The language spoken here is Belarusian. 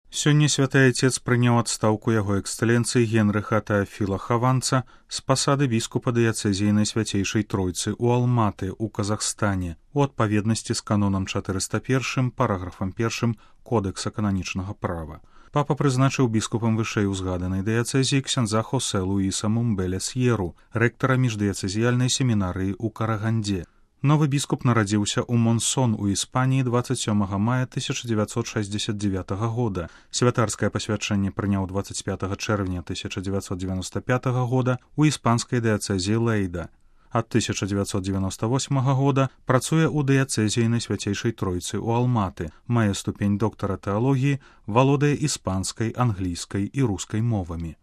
Сёння святы айцец прыняў адстаўку яго эксцэленцыі Генрыха Тэафіла Хаванца з пасады біскупа дыяцэзіі Найсвяцейшай Тройцы ў Алматы ў Казахстане у адпаведнасці з канонам 401 параграфам 1 Кодэкса кананічнага права. Папа прызначыў біскупам вышэй узгаданай дыяцэзіі ксяндза Хосе Луіса Мумбеля Сьеру, рэктара міждыяцэзіяльнай семінарыі ў Караганде. Новы біскуп нарадзіўся ў Монсон у Іспаніі 27 мая 1969 года. Святарскае пасвячэнне прыняў 25 чэрвеня 1995 года у іспанскай дыяцэзіі Лейда. Ад 1998 года працуе ў дыяцэзіі Найсвяцейшай Тройцы ў Алматы, мае ступень доктара тэалогіі, валодае іспанскай, англійскай і рускай мовамі.